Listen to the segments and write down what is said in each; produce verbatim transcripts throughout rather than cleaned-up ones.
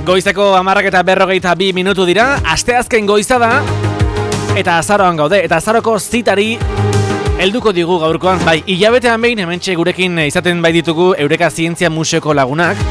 Goizeko hamarrak eta berrogeita bi minutu dira, asteazken goiza da, eta azaroan gaude, eta azaroko zitari helduko digu gaurkoan, bai, hilabetean behin hementxe gurekin izaten bai ditugu Eureka Zientzia Museoko lagunak.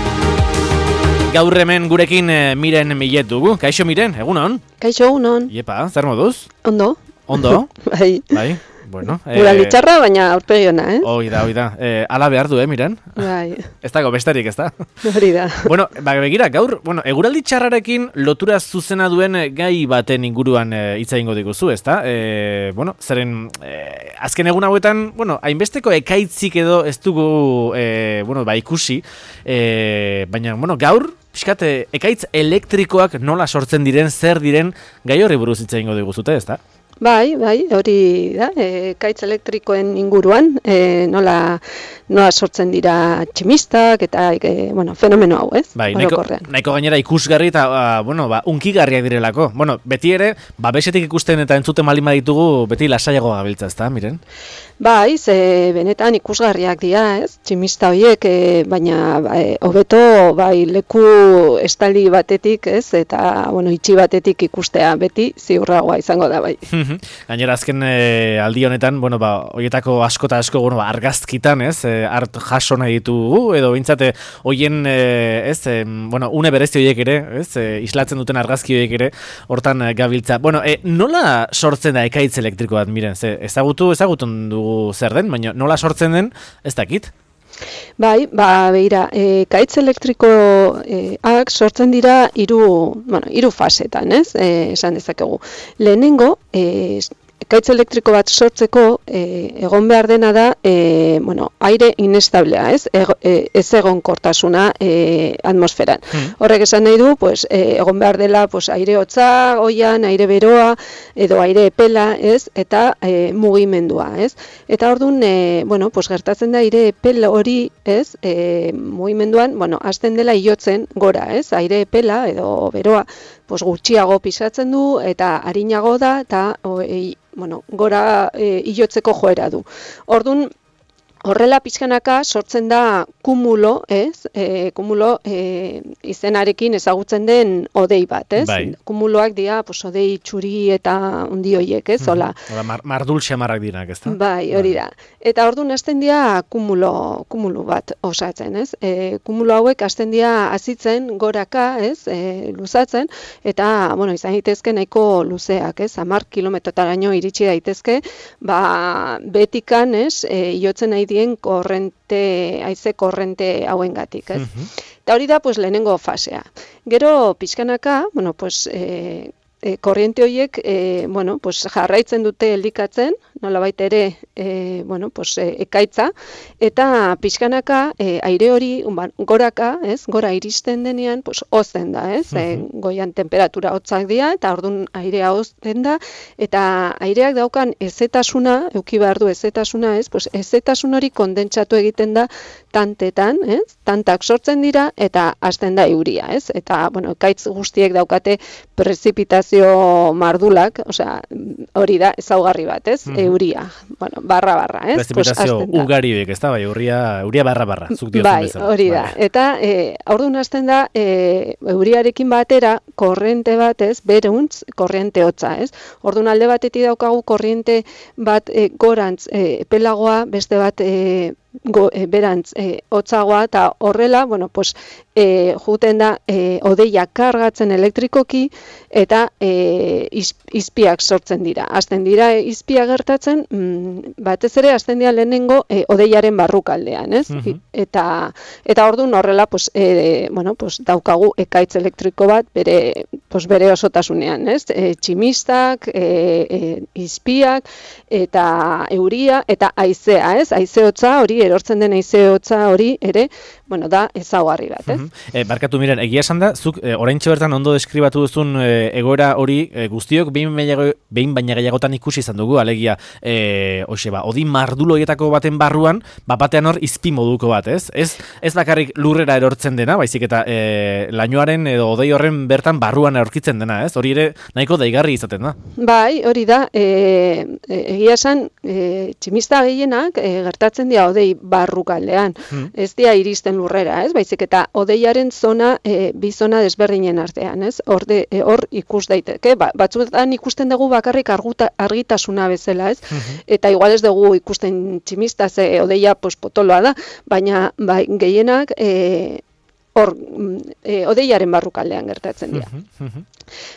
Gaur hemen gurekin Miren Millet dugu. Kaixo Miren, egunon? Kaixo egunon. Iepa, zer moduz? Ondo. Ondo? Bai. Bai, bueno. Guraldi txarra, baina aurpegi ona, eh? Hoi da, hoi da. Eh, ala behar du, eh, Miren? Bai. Ez dago besterik, ez da? Hori da. Bueno, ba, begira, gaur, bueno, eguraldi txarrarekin lotura zuzena duen gai baten inguruan hitz e, egingo diguzu, ez da? E, bueno, zeren, e, azken egun hauetan, bueno, hainbesteko ekaitzik edo ez dugu, e, bueno, ba, ikusi, e, baina, bueno, gaur, pixkat, ekaitz elektrikoak nola sortzen diren, zer diren, gai horri buruz hitz egingo diguzute, ez da? Bai, bai, hori da, e, kaitz elektrikoen inguruan, e, nola, nola sortzen dira tximistak eta e, bueno, fenomeno hau, ez? Bai, nahiko, nahiko gainera ikusgarri eta uh, bueno, ba, unkigarriak direlako. Bueno, beti ere, babesetik ikusten eta entzuten malin baditugu, beti lasaiago gabiltza, ez da, Miren? Bai, ze benetan ikusgarriak dira, ez? Tximista horiek, e, baina e, hobeto bai leku estali batetik, ez? Eta, bueno, itxi batetik ikustea beti ziurragoa izango da, bai. Gainera azken e, aldi honetan, bueno, ba, horietako asko eta asko, bueno, ba, argazkitan, ez? E, art jaso nahi ditugu, edo bintzate hoien, e, ez? E, bueno, une berezti horiek ere, ez? E, islatzen duten argazki horiek ere, hortan e, gabiltza. Bueno, e, nola sortzen da ekaitz elektriko bat, Miren? Ze, ezagutu, ezagutun dugu zer den, baina nola sortzen den, ez dakit? Bai, ba, behira, e, kaitz elektrikoak e, sortzen dira hiru, bueno, hiru fasetan, ez? E, esan dezakegu. Lehenengo, e, kaitz elektriko bat sortzeko e, egon behar dena da, e, bueno, aire inestablea, ez? E, e, ez egonkortasuna e, atmosferan. Hmm. Horrek esan nahi du, pues, e, egon behar dela, pues, aire hotza, oian, aire beroa, edo aire epela, ez? Eta e, mugimendua, ez? Eta orduan, e, bueno, pues, gertatzen da aire epel hori, ez? E, mugimenduan, bueno, hasten dela iotzen gora, ez? Aire epela edo beroa, pues, gutxiago pisatzen du eta arinago da eta o, e, bueno, gora e, ilotzeko joera du. Orduan, horrela pixkanaka sortzen da kumulo, ez? E, kumulo e, izenarekin ezagutzen den odei bat, ez? Bai. Kumuloak dira, pues, odei txuri eta hundi hoiek, ez? Hola. Hola, mar, mardul xamarrak dirak, ez da? Bai, hori da. Eta orduan hasten dira kumulo, kumulo bat osatzen, ez? E, kumulo hauek hasten dira azitzen goraka, ez? E, luzatzen, eta, bueno, izan daitezke nahiko luzeak, ez? hamar kilometrotaraino iritsi daitezke, ba, betikan, ez? E, iotzen nahi dien korrente, haize korrente hauengatik, ez? Uh-huh. Eta hori da, pues, lehenengo fasea. Gero, pixkanaka, bueno, pues, e, e, korriente horiek, e, bueno, pues, jarraitzen dute elikatzen, nolabait ere, e, bueno, pues, e, ekaitza, eta pixkanaka e, aire hori goraka, ez, gora iristen denean, pues, hozten da, ez, uh-huh. e, goian temperatura hotzak dira, eta orduan airea hozten da, eta aireak daukan ezetasuna, euki behar du ezetasuna, ez, pues, ezetasun hori kondentsatu egiten da tantetan, ez, tantak sortzen dira, eta hasten da euria, ez, eta, bueno, ekaitz guztiek daukate prezipitazio mardulak, osea, hori da ezaugarri bat, ez, uh-huh. euria, bueno, barra barra, ez? Prezipitazio pues, ugari horiek, ez da, bai, euria, euria barra barra, zuk diozun bai, bezala. Hori da, bai. Eta e, orduan hasten da, e, euriarekin batera, korrente bat, ez, beruntz, korriente hotza, ez? Orduan alde batetik daukagu korriente bat e, gorantz, e, epelagoa, beste bat, e, Go, e, berantz e, hotzagoa eta horrela, bueno, pues, e, juten da e, odeia kargatzen elektrikoki eta e, iz, izpiak sortzen dira. Hasten dira e, izpiak gertatzen, mm, batez ere hasten dira lehenengo e, odeiaren barrukaldean, ez? Uh-huh. Eta eta orduan horrela, pues, e, bueno, pues, daukagu ekaitz elektriko bat bere, pues, bere osotasunean, ez? E, tximistak, e, e, izpiak eta euria eta haizea, ez? Haize hotza hori erortzen den haize hotza hori ere, bueno, da ezaugarri bat, ez? Uh-huh. E, barkatu Miren, egia esan da, zuk e, oraintxe bertan ondo deskribatu duzun e, egoera hori e, guztiok behin, behin baina gehiagotan ikusi izan dugu, alegia, e, hoxe, ba, odi mardulo horietako baten barruan, bat batean hor izpi moduko bat, ez? Ez, ez bakarrik lurrera erortzen dena, baizik eta e, lainoaren edo odei horren bertan barruan aurkitzen dena, ez? Hori ere nahiko daigarri izaten da. Bai, hori da, e, e, egia esan, e, tximista gehienak e, gertatzen dira odei odei barrukaldean. Hmm. Ez dira iristen lurrera, ez? Baizik eta odeiaren zona, e, bi zona desberdinen artean, ez? Hor de, e, hor ikus daiteke, ba, batzuetan ikusten dugu bakarrik arguta, argitasuna bezala, ez? Mhm. Eta igual ez dugu ikusten tximista, ze odeia pues, potoloa da, baina bai, gehienak e, hor e, odeiaren barrukaldean gertatzen dira. Mhm, mhm.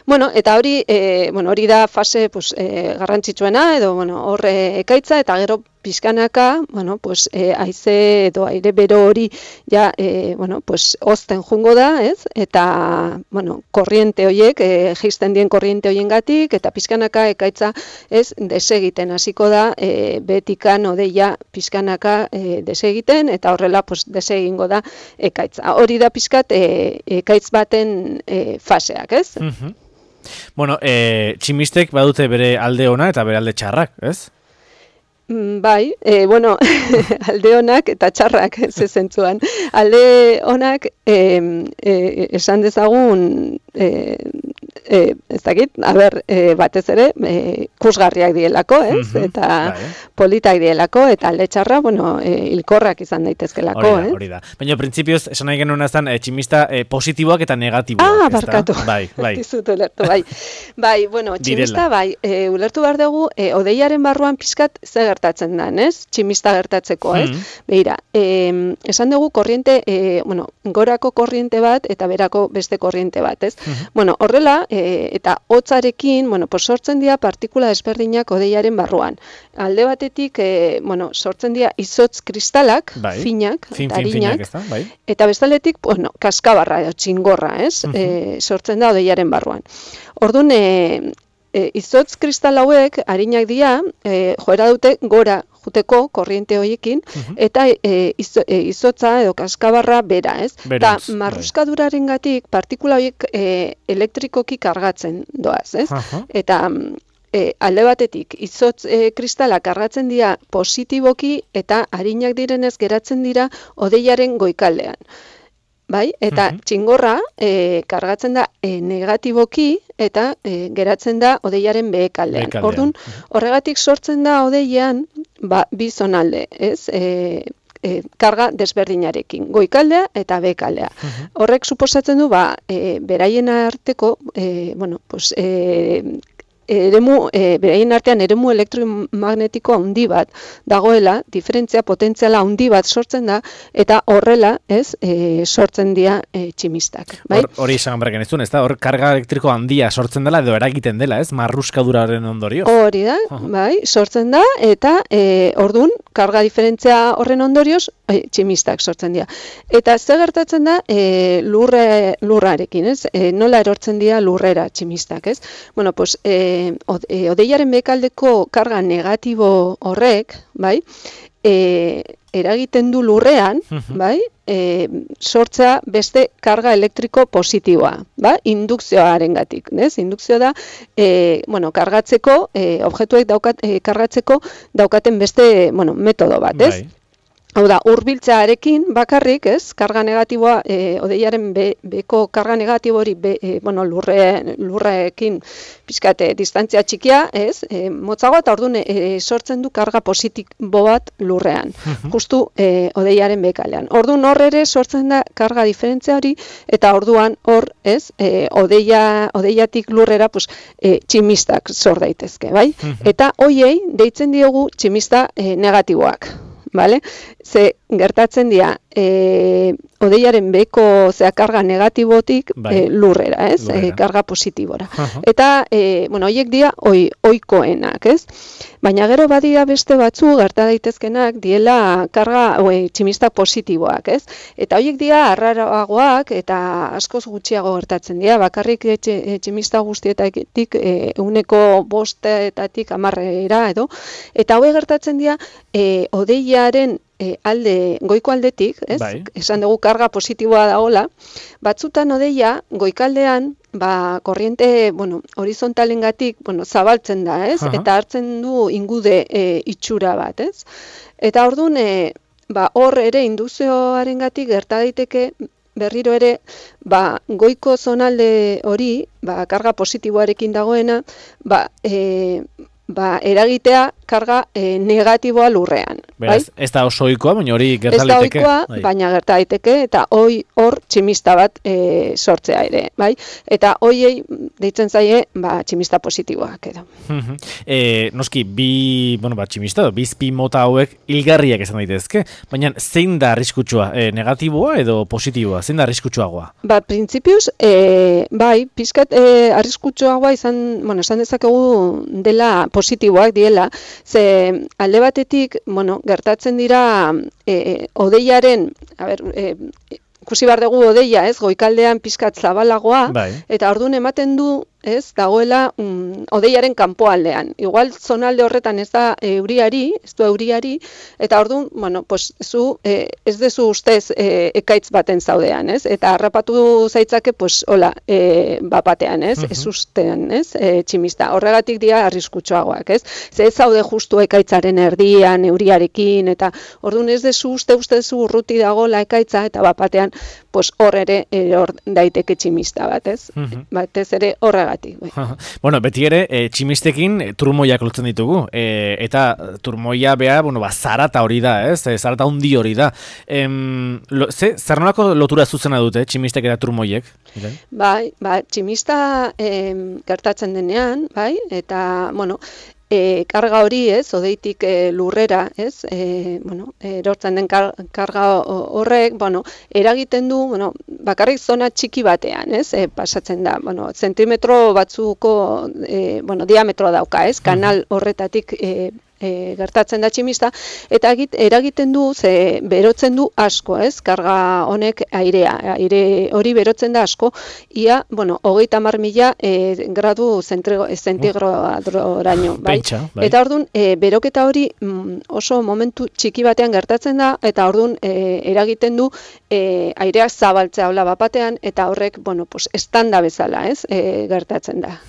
Bueno, eta hori, e, bueno, hori da fase pues, e, garrantzitsuena, edo bueno, hor e, ekaitza, eta gero pixkanaka, bueno, pues, e, haize edo aire bero hori ja, e, bueno, pues, ozten jungo da, ez? Eta, bueno, korriente horiek, e, jaisten dien korriente horiengatik, eta pixkanaka ekaitza, ez, desegiten hasiko da, e, betikan odeia pixkanaka e, desegiten, eta horrela, pues, desegingo da ekaitza. Hori da pixkat, e, ekaitz baten e, faseak, ez? Mhm. Bueno, e, tximistek badute bere alde ona eta bere alde txarrak, ez? Bai, e, bueno, alde onak eta txarrak ze zentzuan. Alde onak e, e, esan dezagun, e, e, ez dakit, a ber, e, batez ere, e, kusgarriak dielako, ez? Mhm, Eta bai. politak dielako, eta alde txarra, bueno, e, hilkorrak izan daitezkelako, Hori da, eh? hori da. Baina, printzipioz, esan nahi genuen aztan, e, tximista e, positiboak eta negatiboak, Ah, ezta? barkatu. Bai, bai. Dizut ulertu, bai. Bai, bueno, tximista, Direla. bai, e, ulertu behar dugu, e, odeiaren barruan pixkat ze gertatzen den, ez? Tximista gertatzeko, ez? Mhm. Begira, e, esan dugu korriente, e, bueno, gorako korriente bat eta berako beste korriente bat, ez? Mhm. Bueno, horrela, e, eta hotzarekin, bueno, pues sortzen dira partikula desberdinak odeiaren barruan. Alde batetik, e, bueno, sortzen dira izotz kristalak, Bai. finak, Fin, eta fin, finak, arinak, ezta? Bai. eta bestaletik, bueno, kaskabarra edo txingorra, ez? Mhm. E, sortzen da odeiaren barruan. Orduan, e, e, izotz kristal hauek, arinak dira, e, joera dute gora juteko korriente horiekin, Mhm. eta e, izo, e, izotza edo kaskabarra bera, ez? Eta Berantz, bai. marruskadurarengatik partikula horiek e, elektrikoki kargatzen doaz, ez? Aha. Eta mm, e, alde batetik, izotz e, kristalak kargatzen dira positiboki eta arinak direnez geratzen dira odeiaren goikaldean. Bai, eta Mhm. txingorra e, kargatzen da e, negatiboki eta e, geratzen da odeiaren behekaldean. Behekaldean. Orduan, horregatik sortzen da odeian ba, bi zonalde, ez? E, e, karga desberdinarekin, goikaldea eta behekaldea. Mhm. Horrek suposatzen du, ba, e, beraien arteko, e, bueno, pues, e, eremu, e, beraien artean eremu elektromagnetiko handi bat dagoela, diferentzia potentziala handi bat sortzen da, eta horrela, ez, e, sortzen dira e, tximistak, bai? Hor- Hori esan berken ez duen, ez da? Hor karga elektriko handia sortzen dela edo eragiten dela, ez? Marruskaduraren ondorioz. Hori da, Aha. bai, sortzen da, eta e, ordun karga diferentzia horren ondorioz, e, tximistak sortzen dira. Eta ze gertatzen da e, lurre, lurrarekin, ez? E, nola erortzen dira lurrera tximistak, ez? Bueno, pues, e, od, e, odeiaren bekaldeko karga negatibo horrek, bai, e, eragiten du lurrean, Mhm. bai, e, sortzea beste karga elektriko positiboa, ba, indukzioarengatik, ez? Indukzio da, e, bueno, kargatzeko, e, objektuek daukat, e, kargatzeko daukaten beste, bueno, metodo bat, ez? Bai. Hau da, hurbiltzearekin bakarrik, ez? Karga negatiboa, e, odeiaren be, beko karga negatibo hori, be, e, bueno, lurre, lurrekin pixkate distantzia txikia, ez? E, motzagoa eta orduan e, sortzen du karga positibo bat lurrean, Mhm. justu e, odeiaren bekalean. Orduan hor ere sortzen da karga diferentzia hori, eta orduan hor, ez? E, odeia, odeiatik lurrera, pues, e, tximistak sor daitezke, bai? Mhm. Eta hoiei deitzen diogu tximista e, negatiboak. Vale? Ze gertatzen dira e, odeiaren beko zea karga negatibotik Bai. e, lurrera, ez? Lurrera. E, karga positibora. Aha. Eta, e, bueno, horiek dira oi, oikoenak, ez? Baina gero badira beste batzu gerta daitezkenak diela karga oi, tximistak positiboak, ez? Eta horiek dira arraroagoak eta askoz gutxiago gertatzen dira, bakarrik etxe, tximista guztietatik e, euneko bostetatik hamarrera edo, eta hauek gertatzen dira e, odeiaren e, alde, goiko aldetik, ez? Bai. Esan dugu karga positiboa dagoela, batzutan odeia goikaldean ba, korriente, bueno, horizontalengatik, bueno, zabaltzen da, ez? Aha. Eta hartzen du ingude e, itxura bat, ez? Eta orduan, e, ba, hor ere indukzioarengatik gerta daiteke berriro ere, ba, goiko zonalde hori, ba, karga positiboarekin dagoena, ba, e, ba, eragitea karga e, negatiboa lurrean. Beraz, bai? ez da oso ohikoa, baina hori gerta Ez da liteke. ohikoa, Bai. baina gerta daiteke eta hoi hor tximista bat e, sortzea ere, bai? Eta hoiei deitzen zaie, ba, tximista positiboak edo. e, noski, bi, bueno, ba, tximista, edo, bi izpi mota hauek hilgarriak esan daitezke, baina zein da arriskutsua? E, negatiboa edo positiboa? Zein da arriskutsuagoa? Ba, printzipioz, e, bai, pizkat e, arriskutsuagoa izan, bueno, esan dezakegu dela positiboak diela, ze alde batetik, bueno, gertatzen dira e, odeiaren, a ber, e, ikusi behar dugu odeia, ez, goikaldean pizkat zabalagoa, Bai. eta orduan ematen du, ez, dagoela mm, odeiaren kanpoaldean. Igual zonalde horretan ez da euriari, ez du euriari, eta orduan, bueno, pues, zu e, ez dezu ustez e, ekaitz baten zaudean, ez? Eta harrapatu zaitzake, pues, hola, e, bapatean, ez? Ez ustean, ez? E, tximista. Horregatik dira arriskutsuagoak, ez? Ze ez zaude justu ekaitzaren erdian, euriarekin, eta orduan ez dezu uste ustezu urruti dagoela ekaitza, eta bapatean, pues, hor ere hor daiteke tximista bat, ez? Batez ere horregatik. Bai. Bueno, beti ere, e, tximistekin e, turmoiak lotzen ditugu, e, eta turmoia bea, bueno, ba, zarata hori da, ez? E, zarata hundi hori da. Em, lo, ze, zer nolako lotura zuzena dute, tximistek eta turmoiek? Bai, ba, tximista em, gertatzen denean, bai, eta, bueno, E, karga hori, ez, odeitik e, lurrera, ez, e, bueno, erortzen den kar, karga horrek, bueno, eragiten du, bueno, bakarrik zona txiki batean, ez, e, pasatzen da, bueno, zentimetro batzuko, e, bueno, diametro dauka, ez, kanal horretatik e, E, gertatzen da tximista, eta egit, eragiten du, ze berotzen du asko, ez, karga honek airea, aire hori berotzen da asko, ia, bueno, hogeita hamar mila e, gradu zentigradoraino, bai? Pentsa, bai. Eta orduan, e, beroketa hori mm, oso momentu txiki batean gertatzen da, eta orduan e, eragiten du e, aireak zabaltzea hola bapatean, eta horrek, bueno, pues, estanda bezala, ez, e, gertatzen da.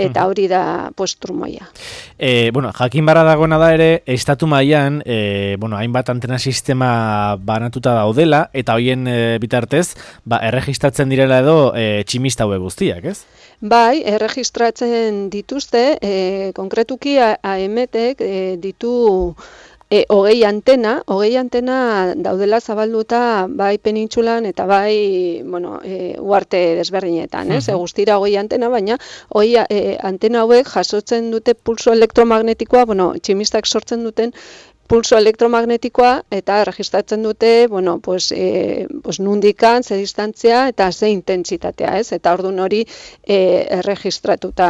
Eta hori da, pues, trumoia. E, bueno, jakin barra dagoena da ere, estatu mailan, e, bueno, hainbat antena sistema banatuta daudela, eta hoien e, bitartez, ba, erregistratzen direla edo e, tximista hauek guztiak, ez? Bai, erregistratzen dituzte, e, konkretuki A M Tek e, ditu E, hogei antena, hogei antena daudela zabalduta bai penintsulan eta bai, bueno, e, uarte desberdinetan, ez? E, guztira hogei antena, baina hogei e, antena hauek jasotzen dute pulso elektromagnetikoa, bueno, tximistak sortzen duten pulso elektromagnetikoa eta erregistratzen dute, bueno, pues, e, pues nundikan, ze distantzia eta ze intentsitatea, ez? Eta ordun hori e, erregistratuta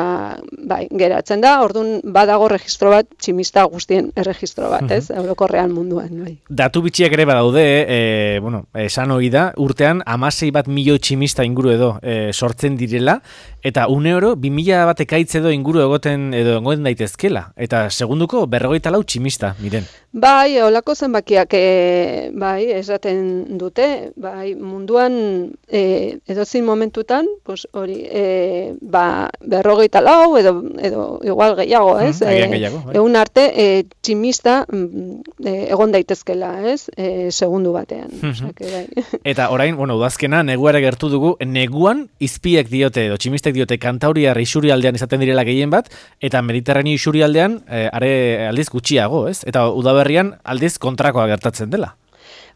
bai, geratzen da, ordun badago registro bat, tximista guztien erregistro bat, ez? Eurokorrean munduan, bai. Datu bitxiak ere badaude, e, bueno, esan hori da, urtean hamasei bat milioi tximista inguru edo e, sortzen direla, eta une oro, bi mila bat ekaitz edo inguru egoten edo egoten daitezkela, eta segunduko berrogeita lau tximista, miren. Bai, holako zenbakiak e, bai, esaten dute, bai, munduan e, edozein momentutan, pues hori, e, ba, berrogeita lau edo, edo igual gehiago, ez? Mm, e, gehiago, bai. Egun arte, e, tximista e, egon daitezkela, ez? E, segundu batean. Mm -hmm. Osake, bai. Eta orain, bueno, udazkena, neguare gertu dugu, neguan izpiek diote, edo tximistek diote, Kantauriar isurialdean izaten direla gehien bat, eta Mediterraneo isurialdean, e, are aldiz gutxiago, ez? Eta udaberrian aldiz kontrakoa gertatzen dela.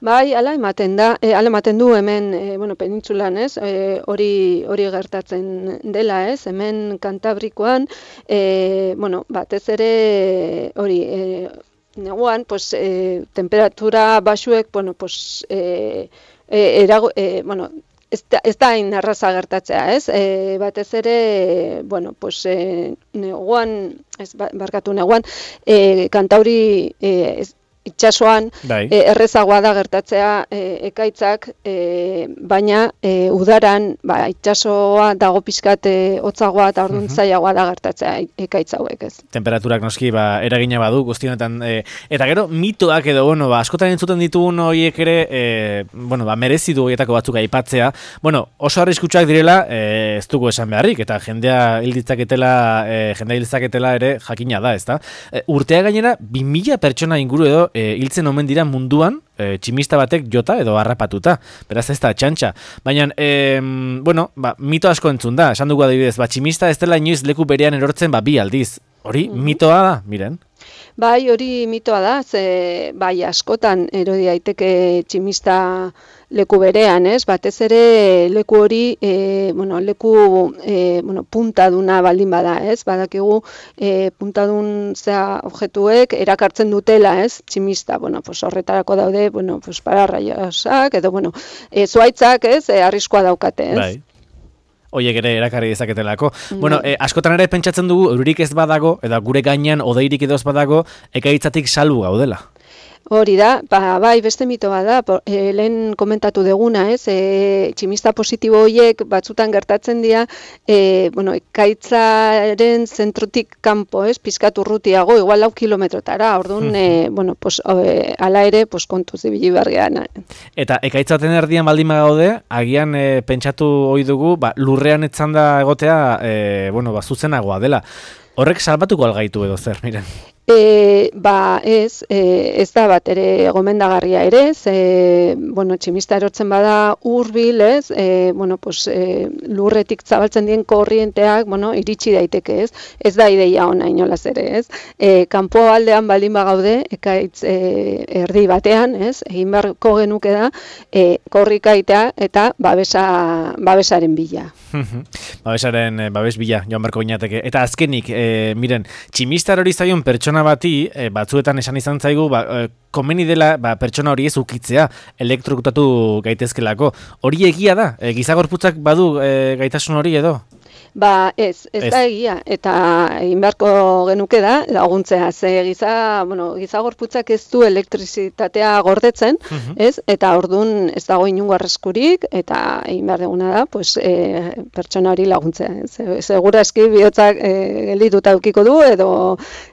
Bai, hala ematen da, e, hala ematen du hemen, e, bueno, penintsulan, ez? E, hori hori gertatzen dela, ez? Hemen Kantabrikoan, e, bueno, batez ere hori, e, neguan, pues, e, temperatura baxuek, bueno, pues, e, e, erago, e, bueno, ez da, ez da hain erraza gertatzea, ez? E, batez ere, bueno, pues, e, neguan, ez, barkatu neguan, e, Kantauri e, ez, itxasoan e, errezagoa da gertatzea e, ekaitzak, e, baina e, udaran ba, itxasoa dago pixkat e, hotzagoa eta orduan zailagoa da gertatzea ekaitz hauek, ez. Temperaturak noski ba, eragina badu guztionetan. E, eta gero mitoak edo, bueno, ba, askotan entzuten ditugun horiek ere, e, bueno, ba, merezi du horietako batzuk aipatzea. Bueno, oso arriskutsuak direla, e, ez dugu esan beharrik, eta jendea hilditzaketela, e, jendea hilditzaketela ere jakina da, ezta? E, urtea gainera, bi mila pertsona inguru edo E, hiltzen omen dira munduan, e, tximista batek jota edo harrapatuta. Beraz ez da txantxa. Baina, e, bueno, ba, mito asko entzun da. Esan dugu adibidez, ba, tximista ez dela inoiz leku berean erortzen ba, bi aldiz. Hori, mm-hmm. mitoa da, miren. Bai, hori mitoa da, ze bai askotan erodi daiteke tximista leku berean, ez? Batez ere leku hori, e, bueno, leku e, bueno, puntaduna baldin bada, ez? Badakigu e, puntadun zea objektuek erakartzen dutela, ez? Tximista, bueno, pues horretarako daude, bueno, pues pararraiosak edo bueno, e, zuhaitzak, ez? E, arriskua daukate, ez? Bai. Oiek ere erakarri dezaketelako. Mm. Bueno, eh, askotan ere pentsatzen dugu, euririk ez badago, eta gure gainean odeirik edo ez badago, ekaitzatik salbu gaudela. Hori da, ba, bai, beste mito bada, e, lehen komentatu deguna, ez, e, tximista positibo horiek batzutan gertatzen dira, e, bueno, ekaitzaren zentrotik kanpo, ez, pizkat urrutiago, igual lau kilometrotara, orduan, e, bueno, pues, e, ala ere, pues, kontuz ibili bergean. Eta ekaitzaten erdian baldin gaude, agian e, pentsatu ohi dugu, ba, lurrean etzanda egotea, e, bueno, ba, zuzenagoa dela. Horrek salbatuko algaitu edo zer, miren? E, ba ez, e, ez da bat ere gomendagarria ere, ze, bueno, tximista erortzen bada hurbil, ez, e, bueno, pues, e, lurretik zabaltzen dien korrienteak, bueno, iritsi daiteke, ez, ez da ideia ona inolaz ere, ez, e, kanpo aldean baldin bagaude, ekaitz e, erdi batean, ez, egin beharko genuke da, e, korrikaitea eta babesa, babesaren bila. Babesaren, babes bila, joan beharko ginateke. Eta azkenik, e, miren, tximistar hori zaion pertsona bati, e, batzuetan esan izan zaigu, ba, e, komeni dela ba, pertsona hori ez ukitzea, elektrokutatu gaitezkelako. Hori egia da? E, gizagorputzak badu e, gaitasun hori edo? Ba ez, ez, ez da egia, eta egin beharko genuke da, laguntzea, ze giza, bueno, gizagorputzak ez du elektrizitatea gordetzen, uh-huh. ez, eta ordun ez dago inungo arriskurik, eta egin behar duguna da, pues, e, pertsona hori laguntzea, ez, segura eski bihotzak e, geldituta eukiko du, edo,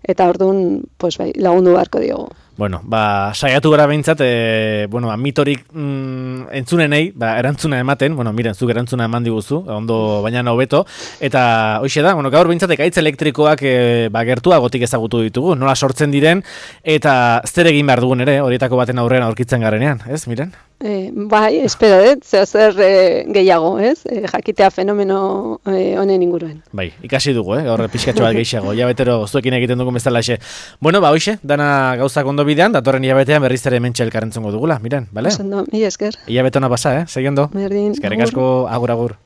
eta ordun pues, bai, lagundu beharko diogu. Bueno, ba, saiatu gara behintzat, e, bueno, ba, mitorik mm, entzunenei, ba, erantzuna ematen, bueno, miren, zuk erantzuna eman diguzu, ondo baina hobeto, eta hoxe da, bueno, gaur behintzat ekaitz elektrikoak e, ba, gertuagotik ezagutu ditugu, nola sortzen diren, eta zer egin behar dugun ere, horietako baten aurrean aurkitzen garenean, ez, miren? E, bai, espero dut, zeo zer e, gehiago, ez? E, jakitea fenomeno e, honen inguruen. Bai, ikasi dugu, eh? Horre pixkatxo bat gehiago, jabetero zuekin egiten dugun bezalaxe. Bueno, ba, hoxe, dana gauzak ondo bidean, datorren hilabetean berriz ere hementxe elkarrentzongo dugula, miren, bale? Oso ondo, mila esker. Hilabetona pasa, eh? Seguindo. Berdin. Eskerrik asko, agur, agur.